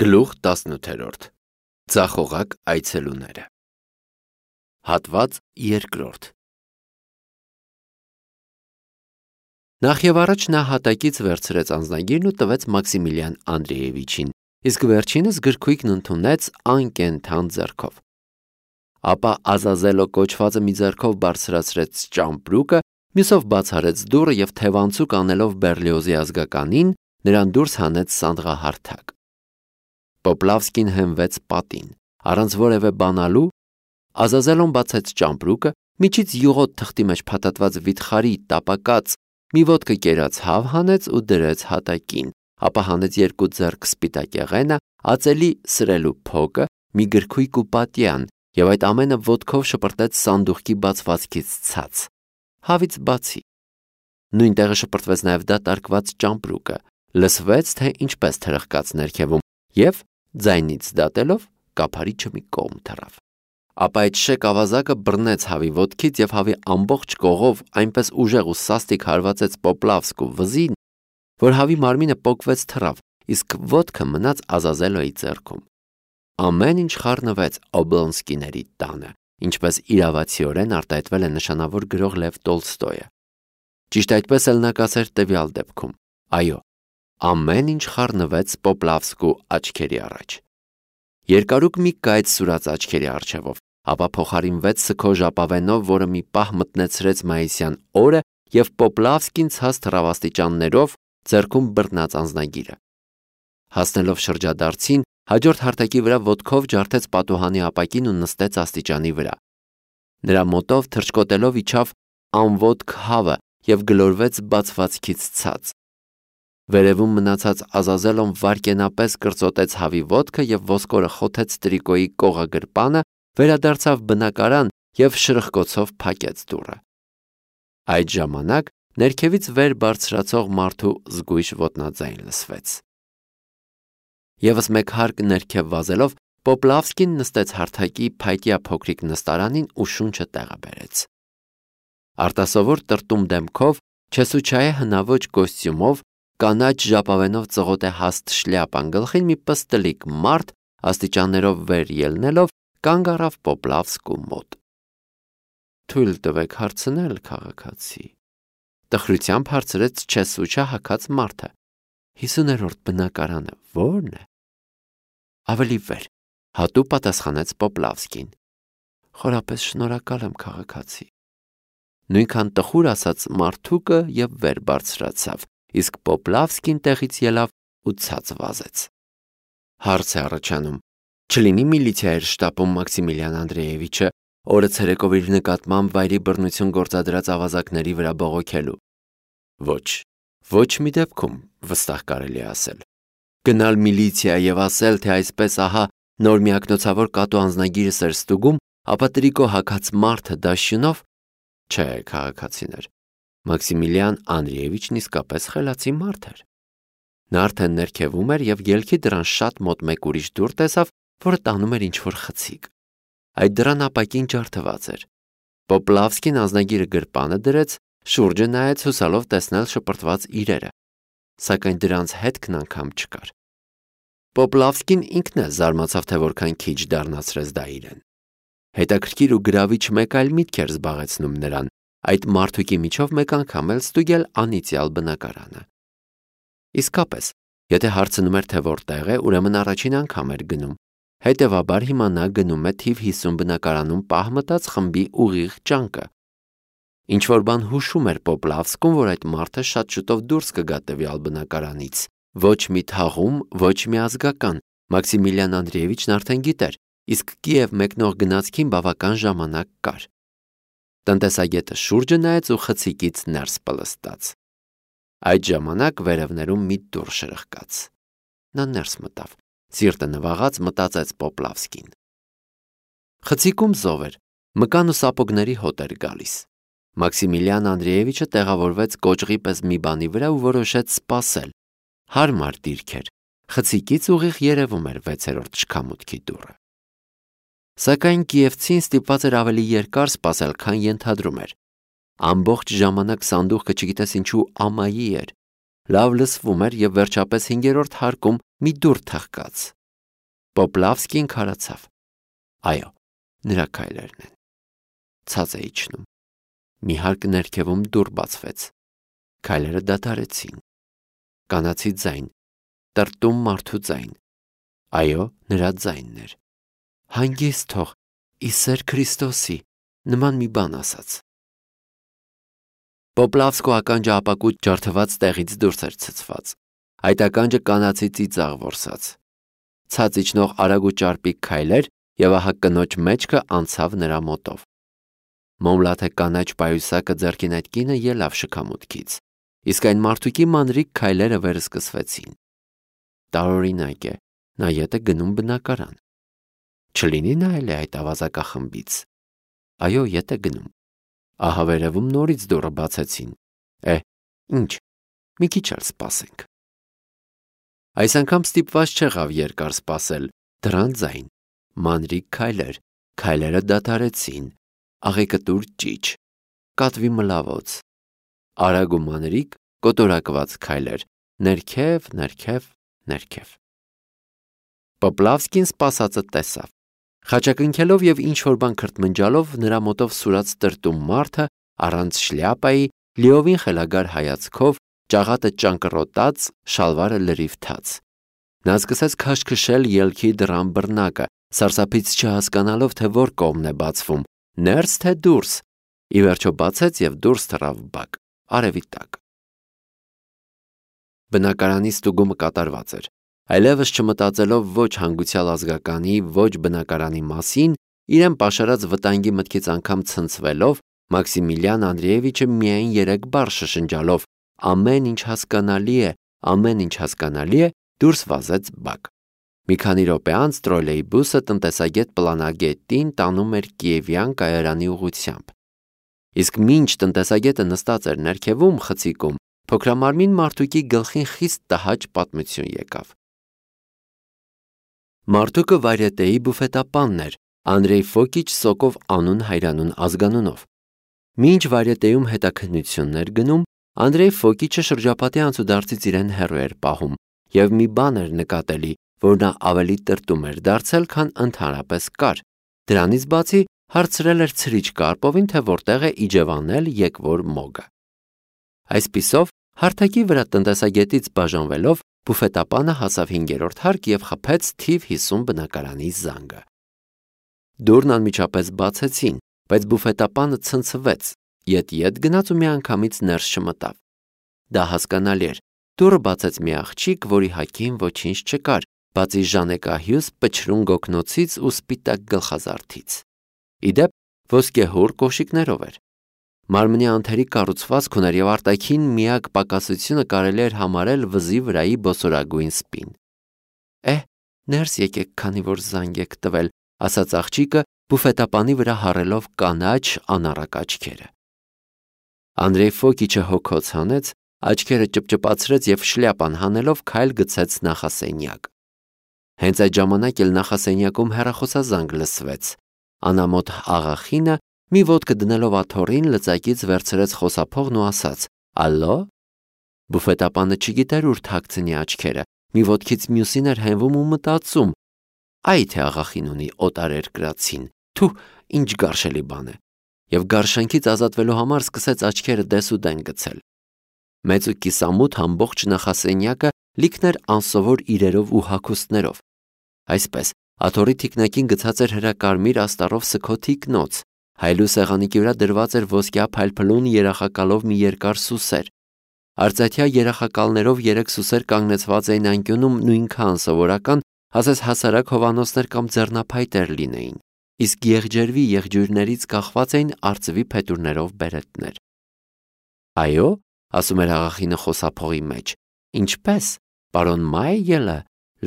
Գլուխ 18 Ձախողակ այցելուները Հատված 2 Նախ և առաջ նա հատակից վերցրեց անձնագիրն ու տվեց Մաքսիմիլիան Անդրեևիչին, իսկ վերջինս գրքույկն ընդունեց անկենդան ձեռքով։ Ապա Ազազելո կոչվածը մի ձեռքով բարձրացրեց ճամպրուկը, մյուսով բաց արեց դուռը և թևանցուկ անելով Բերլիոզի ազգականին, նրան դուրս հանեց սանդղահարթակ։ Պոպլավսկին հենվեց պատին, առանց որևէ բանալու, Ազազելոն բացեց ճամպրուկը, միջից յուղոտ թղթի մեջ փաթաթված վիթխարի տապակած մի ոտքը կերած հավ հանեց ու դրեց հատակին, ապա հանեց երկու ձեռք սպիտակ եղենը, ածելի սրելու փոկը, մի գրքույկ ու պատյան, և այդ ամենը ոտքով շպրտեց սանդուղքի բացվածքից ցած, հավից բացի։ Նույն տեղը շպրտվեց նաև դատարկված ճամպրուկը, լսվեց, թե ինչպես թրխկաց ներքևում, և ձայնից դատելով կափարիչը մի կողմ թռավ։ Ապա այդ շեք ավազակը բռնեց հավի ոտքից և հավի ամբողջ կողով այնպես ուժեղ ու սաստիկ հարվածեց Պոպլավսկու վզին, որ հավի մարմինը պոկվեց թռավ, իսկ ոտքը մնաց Ազազելոյի ձեռքում։ Ամեն ինչ խառնվեց Օբլոնսկիների տանը, ինչպես իրավացիորեն արտահայտվել է նշանավոր գրող Լև Տոլստոյը։ Ճիշտ այդպես էլ նա կասեր տվյալ դեպքում. այո, ամեն ինչ խառնվեց Պոպլավսկու աչքերի առաջ։ Երկարուկ մի կայծ սուրաց աչքերի առջևով, ապա փոխարինվեց սգո ժապավենով, որը մի պահ մտնեցրեց մայիսյան օրը և Պոպլավսկին ցած թռավ աստիճաններով, ձեռքում բռնած անձնագիրը։ Հասնելով շրջադարձին, հաջորդ հարթակի վրա ոտքով ջարդեց պատուհանի ապակին ու նստեց աստիճանի վրա։ Նրա մոտով թռչկոտելով իջավ անոտք հավը և գլորվեց բացվածքից ցած։ Վերևում մնացած Ազազելոն վայրկենապես կրծոտեց հավի ոտքը և ոսկորը խոթեց տրիկոյի կողագրպանը, վերադարձավ բնակարան և շրխկոցով փակեց դուռը։ Այդ ժամանակ ներքևից վեր բարձրացող մարդու զգույշ ոտնաձայն լսվեց։ Եվս մեկ հարկ ներքև վազելով, Պոպլավսկին նստեց հարթակի փայտյա փոքրիկ նստարանին ու շունչը տեղը բերեց։ Արտասովոր տրտում դեմքով, չեսուչայե հնաոճ կոստյումով, կանաչ ժապավենով ծղոտ է հաստ շլյապան գլխին մի պստլիկ մարդ, աստիճաններով վեր ելնելով, կանգ առավ Պոպլավսկու մոտ։ «Թույլ տվեք հարցնել, քաղաքացի», տխրությամբ հարցրեց չեսուչա հագած մարդը։ 50-րդ բնակարանը ո՞րն է։ Ավելի վեր, հատու պատասխանեց Պոպլավսկին։ Խորապես շնորհակալ եմ, քաղաքացի։ Նույնքան տխուր ասաց մարդուկը և վեր բարձրացավ, իսկ Պոպլավսկին տեղից ելավ ու ցած վազեց։ Հարց է առաջանում. չլինի միլիցիա էր շտապում Մաքսիմիլիան Անդրեևիչը, օրը ցերեկով իր նկատմամբ վայրի բռնություն գործադրած ավազակների վրա բողոքելու։ Ոչ մի դեպքում, վստահ կարելի է ասել։ Գնալ միլիցիա և ասել, թե այսպես ահա նոր միակնոցավոր կատու անձնագիրս էր ստուգում, ապա տրիկո հագած մարդը դաշյունով։ Չէ, քաղաքացիներ, Մաքսիմիլիան Անդրեևիչն իսկապես խելացի մարդ էր։ Նա արդեն ներքևում էր և ելքի դռան շատ մոտ մեկ ուրիշ դուռ տեսավ, որը տանում էր ինչ-որ խցիկ։ Այդ դռան ապակին ջարդված էր։ Պոպլավսկին անձնագիրը գրպանը դրեց, շուրջը նայեց հուսալով տեսնել շպրտված իրերը, սակայն դրանց հետքն անգամ չկար։ Պոպլավսկին ինքն էլ զարմացավ, թե որքան քիչ դառնացրեց դա իրեն։ Հետաքրքիր ու գրավիչ մեկ այլ միտք էր զբաղեցնում նրան, այդ մարդուկի միջով մեկ անգամ էլ ստուգել անիծյալ բնակարանը։ Իսկապես, եթե հարցնում էր, թե որտեղ է, ուրեմն առաջին անգամ էր գնում։ Հետևաբար հիմա նա գնում է թիվ 50 բնակարանում պահ մտած խմբի ուղիղ ջանքը։ Ինչ-որ բան հուշում էր Պոպլավսկուն, որ այդ մարդը շատ շուտով դուրս կգա տվյալ բնակարանից։ Ոչ մի թաղում, ոչ մի ազգական, Մաքսիմիլիան Անդրեևիչն արդեն գիտեր, իսկ Կիև մեկնող գնացքին բավական ժամանակ կար։ Տնտեսագետը շուրջը նայեց ու խցիկից ներս պլստաց։ Այդ ժամանակ վերևներում մի դուռ շրխկաց։ Նա ներս մտավ, սիրտը նվաղած մտածեց Պոպլավսկին։ Խցիկում զով էր, մկան ու սապոգների հոտ էր գալիս։ Մաքսիմիլիան Անդրեևիչը տեղավորվեց կոճղի պես մի բանի վրա ու որոշեց սպասել։ Հարմար դիրք էր, խցիկից ուղիղ երևում էր 6-րդ շքամուտքի դուռը։ Սակայն կիևցին ստիպված էր ավելի երկար սպասել, քան ենթադրում էր։ Ամբողջ ժամանակ սանդուղքը չգիտես ինչու ամայի էր, լավ լսվում էր և վերջապես 5-րդ հարկում մի դուռ թխկաց։ Պոպլավսկին քարացավ։ Այո, նրա քայլերն են։ Ցած է իջնում։ Մի հարկ ներքևում դուռ բացվեց։ Քայլերը դադարեցին։ Կանացի ձայն, տրտում մարդու ձայն։ Այո, նրա ձայնն էր։ Հանգիստ թող, ի սեր Քրիստոսի, նման մի բան ասաց։ Պոպլավսկու ականջը ապակուտ ջարդված տեղից դուրս էր ցցված։ Այդ ականջը կանացի ծիծաղ որսաց։ Ցած իջնող արագ ու ճարպիկ քայլեր եւ ահա կնոջ մեջքը անցավ նրա մոտով։ Մոմլաթե կանաչ պայուսակը ձեռքին այդ կինը ելավ շքամուտքից, իսկ այն մարդուկի մանրիկ քայլերը վերսկսվեցին։ Տարօրինակ է, նա ետ է գնում բնակարան։ Չլինի նայել է այդ ավազակախմբից։ Այո, ետ է գնում։ Ահա վերևում նորից դուռը բացեցին։ Ինչ, մի քիչ էլ սպասենք։ Այս անգամ ստիպված չեղավ երկար սպասել, դրան ձայն, մանրիկ քայլեր, քայլերը դադարեցին, աղեկտուր ճիչ, կատվի մլավոց, արագ ու մանրիկ կոտորակված քայլեր, ներքև։ Պոպլավսկին սպասածը տեսավ։ Խաչակնքելով եւ ինչ-որ բան քրթմնջալով նրա մոտով սուրաց տրտում մարդը առանց շլյապայի, լիովին խելագար հայացքով, ճաղատը ճանկռոտած, շալվարը լրիվ թաց։ Նա սկսեց քաշքշել ելքի դռան բռնակը, սարսափից չհասկանալով, թե որ կողմն է բացվում, ներս թե դուրս։ Ի վերջո բացեց եւ դուրս թռավ բակ, արևի տակ։ Բնակարանի ստուգումը կատարված էր։ Այլևս չմտածելով ոչ հանգուցյալ ազգականի, ոչ բնակարանի մասին, իրեն պաշարած վտանգի մտքից անգամ ցնցվելով, Մաքսիմիլիան Անդրեևիչը միայն 3 բառ շշնջալով ամեն ինչ հասկանալի է, դուրս վազեց բակ։ Մի քանի րոպե անց տրոլեյբուսը տնտեսագետ պլանագետին տանում էր Կիևյան կայարանի ուղղությամբ։ Իսկ մինչ տնտեսագետը նստած էր ներքևում խցիկում, փոքրամարմին մարդուկի գլխին խիստ տհաճ պատմություն եկավ։ Մարդուկը վարյետեի բուֆետապանն էր, Անդրեյ Ֆոկիչ Սոկով անուն հայրանուն ազգանունով։ Մինչ վարյետեում հետաքննություններ գնում, Անդրեյ Ֆոկիչը շրջապատի անցուդարձից իրեն հեռու էր պահում եւ մի բան էր նկատելի, որ նա ավելի տրտում էր դարձել, քան ընդհանրապես կար։ Դրանից բացի հարցրել էր ցրիչ Կարպովին, թե որտեղ է իջևանել եկվոր մոգը։ Այսպիսով, հարթակի վրա տնտեսագետից բաժանվելով, բուֆետապանը հասավ 5-րդ հարկ եւ խփեց թիվ 50 բնակարանի զանգը։ Դուռն անմիջապես բացեցին, բայց բուֆետապանը ցնցվեց, ետ գնաց ու միանգամից ներս չմտավ։ Դա հասկանալի էր։ Դուռը բացեց մի աղջիկ, որի հագին ոչինչ չկար, բացի ժանեկահյուս պչրուն գոգնոցից ու սպիտակ գլխազարդից։ Իդեպ ոսկեհուռ կոշիկներով էր։ Մարմնի անթերի կառուցվածք ուներ եւ արտաքին միակ պակասությունը կարելի էր համարել վզի վրայի բոսորագույն սպին։ Ներս եկեք, քանի որ զանգ եք տվել, ասաց աղջիկը, բուֆետապանի վրա հառելով կանաչ անառակ աչքերը։ Անդրեյ Ֆոկիչը հոգոց հանեց, աչքերը ճպճպացրեց եւ շլյապան հանելով քայլ գցեց նախասենյակ։ Հենց այդ ժամանակ էլ նախասենյակում հեռախոսազանգ լսվեց։ Անամոթ աղախինը մի ոտքը դնելով աթոռին լծակից վերցրեց խոսափողն ու ասաց. «Ալո»։ Բուֆետապանը չգիտեր ուր թաքցնի աչքերը, մի ոտքից մյուսին էր հենվում ու մտածում. «Այ թե աղախին ունի օտարերկրացին, թու, ինչ գարշելի բան է», եւ գարշանքից ազատվելու համար սկսեց աչքերը դեսուդեն գցել։ Մեծ ու կիսամութ ամբողջ նախասենյակը լիքն էր անսովոր իրերով ու հագուստներով։ Այսպես, աթոռի թիկնակին գցած էր հրակարմիր աստառով սքոթի կնոց, հայլու սեղանիկի վրա դրված էր ոսկյա փայլփլուն երախակալով մի երկար սուսեր։ Արծաթյա երախակալներով 3 սուսեր կանգնեցված էին անկյունում նույնքան սովորական, ասես հասարակ հովանոցներ կամ ձեռնափայտեր լինեին, իսկ եղջերվի եղջյուրներից կախված էին արծվի փետուրներով բերետներ։ «Այո», ասում էր աղախինը խոսափողի մեջ, «ինչպես, պարոն Մայելը,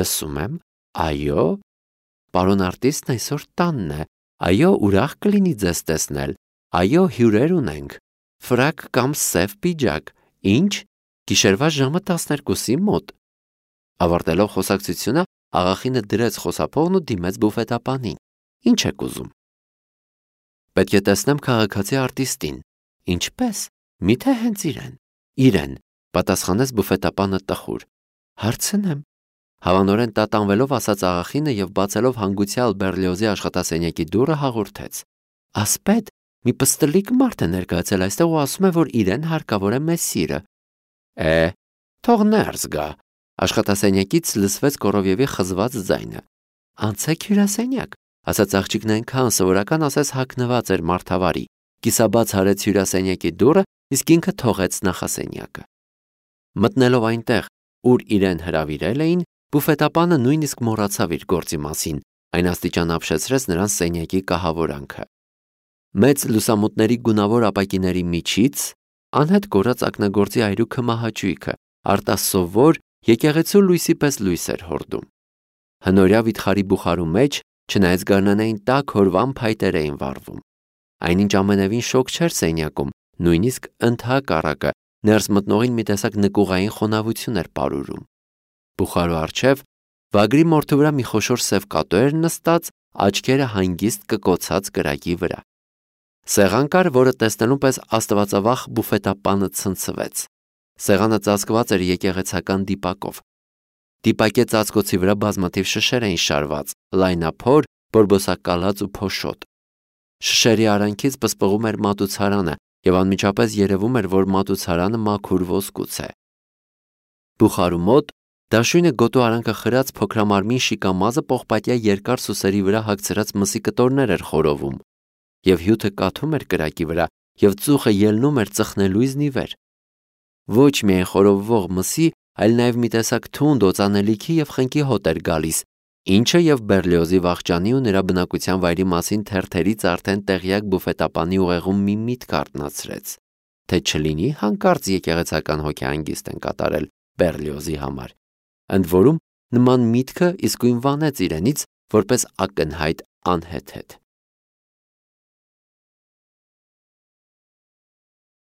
լսում եմ, այո, պարոն արտիստն այսօր տանն է, այո, ուրախ կլինի ձեզ տեսնել, այո, հյուրեր ունենք, ֆրակ կամ սև պիջակ, ինչ, գիշերվա ժամը 12-ի մոտ»։ Ավարտելով խոսակցությունը, աղախինը դրեց խոսափողն ու դիմեց բուֆետապանին։ «Ինչ եք ուզում»։ «Պետք է տեսնեմ քաղաքացի արտիստին»։ «Ինչպես, միթե հենց իրեն»։ «Իրեն», պատասխանեց բուֆետապանը տխուր։ «Հարցնեմ»։ Հավանորեն տատանվելով ասաց աղախինը եւ բացելով հանգուցյալ Բերլիոզի աշխատասենյակի դուռը հաղորդեց. «Ասպետ, մի պստլիկ մարդ է ներկայացել այստեղ ու ասում է, որ իրեն հարկավոր է մեզ սիրը»։ Թող ներս գա։ Աշխատասենյակից լսվեց Կորովյևի խզված ձայնը։ «Անցեք հյուրասենյակ», ասաց աղջիկն այնքան սովորական, ասես հագնված էր մարդավարի։ Կիսաբաց արեց հյուրասենյակի դուռը, իսկ ինքը թողեց նախասենյակը։ Մտնելով այնտեղ, ուր իրեն հրավիրել էին, բուֆետապանը նույնիսկ մոռացավ իր գործի մասին, այն աստիճան ապշեցրեց նրան սենյակի կահավորանքը։ Մեծ լուսամուտների գունավոր ապակիների միջից անհետ կորած ակնագործի այրուքը մահաճույքը, արտասովոր եկեղեցու լույսի պես լույս էր հորդում։ Հնորյա վիթխարի բուխարու մեջ, չնայած գարնանային տաք հորվան փայտեր էին վառվում։ Այնինչ ամենևին շոգ չէր սենյակում, նույնիսկ ընդհակառակը, ներս մտնողին մի տեսակ նկուղային խոնավություն էր պարուրում։ Բուխարու առջև վագրի մորթու վրա մի խոշոր սև կատու էր նստած, աչքերը հանգիստ կկոցած կրակի վրա։ Սեղան կար, որը տեսնելուն պես աստվածավախ բուֆետապանը ցնցվեց։ Սեղանը ծածկված էր եկեղեցական դիպակով։ Դիպակե ծածկոցի վրա բազմաթիվ շշեր էին շարված, լայնափոր, բորբոսակալած ու փոշոտ։ Շշերի արանքից պսպղում էր մատուցարանը, եւ անմիջապես երևում էր, որ մատուցարանը մաքուր ոսկուց է։ Բուխարու մոտ դաշույնը գոտու արանքը խրած փոքրամարմին շիկամազը պողպատյա երկար սուսերի վրա հագցրած մսի կտորներ էր խորովում, եւ հյութը կաթում էր կրակի վրա, եւ ծուխը ելնում էր ծխնելույզնի վեր։ Ոչ միայն խորովվող մսի, այլ նաև մի տեսակ թունդ օծանելիքի եւ խնկի հոտ էր գալիս, ինչը եւ Բերլիոզի վախճանի ու նրա բնակության վայրի մասին թերթերից արդեն տեղյակ բուֆետապանի ուղեղում մի միտք արթնացրեց, թե չլինի հանկարծ եկեղեցական հոգեհանգիստ են կատարել Բերլիոզի համար։ Ընդ որում նման միտքը իսկույն վանեց իրենից որպես ակնհայտ անհեթեթ։